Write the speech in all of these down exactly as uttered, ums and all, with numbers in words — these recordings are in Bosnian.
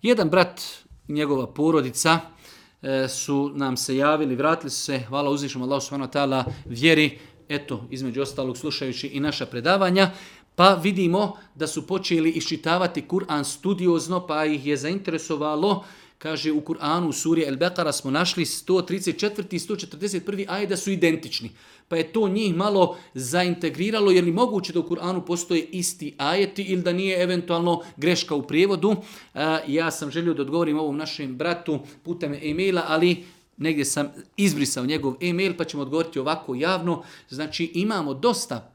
Jedan brat i njegova porodica e, su nam se javili, vratili su se, hvala uzvišnom Allahu subhanahu wa ta'ala, vjeri, eto, između ostalog slušajući i naša predavanja, pa vidimo da su počeli iščitavati Kur'an studiozno, pa ih je zainteresovalo. Kaže, u Kur'anu, u suri El-Bekara smo našli sto trideset četvrti i sto četrdeset prvi ajet da su identični. Pa je to njih malo zaintegriralo, jer li moguće da u Kur'anu postoje isti ajeti ili da nije eventualno greška u prijevodu. E, ja sam želio da odgovorim ovom našem bratu putem e-maila, ali negdje sam izbrisao njegov e-mail, pa ćemo odgovoriti ovako javno. Znači, imamo dosta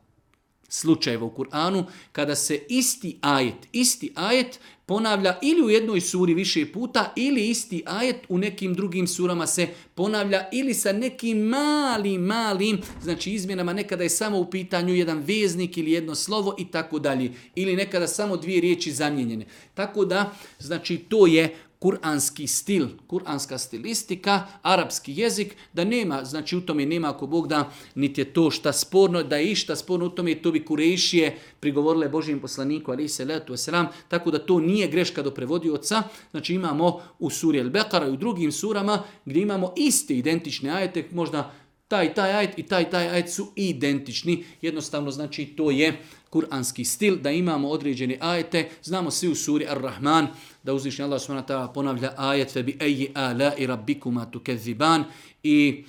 slučajeva u Kur'anu kada se isti ajet, isti ajet ponavlja ili u jednoj suri više puta ili isti ajet u nekim drugim surama se ponavlja ili sa nekim malim, malim, znači izmjenama, nekada je samo u pitanju jedan veznik ili jedno slovo i tako dalje. Ili nekada samo dvije riječi zamijenjene. Tako da, znači to je kuranski stil, kuranska stilistika, arapski jezik, da nema, znači u tome nema ako Bog da, niti je to šta sporno, da je išta sporno u tome, to bi Kurejšije prigovorile Božijem poslaniku, alejhi selatu vesselam, tako da to nije greška do prevodioca. Znači imamo u suri El-Bekara i u drugim surama gdje imamo iste identične ajete, možda taj taj ajet i taj taj ajet su identični. Jednostavno, znači to je kuranski stil, da imamo određene ajete. Znamo svi u suri Ar-Rahman da uzvišeni Allah subhanahu wa ta'ala ponavlja ajet fe bi ayyi ala'i rabbikuma tukezziban, i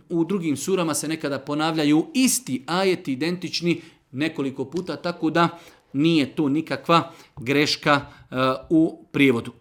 u drugim surama se nekada ponavljaju isti ajeti identični nekoliko puta, tako da nije to nikakva greška uh, u prijevodu.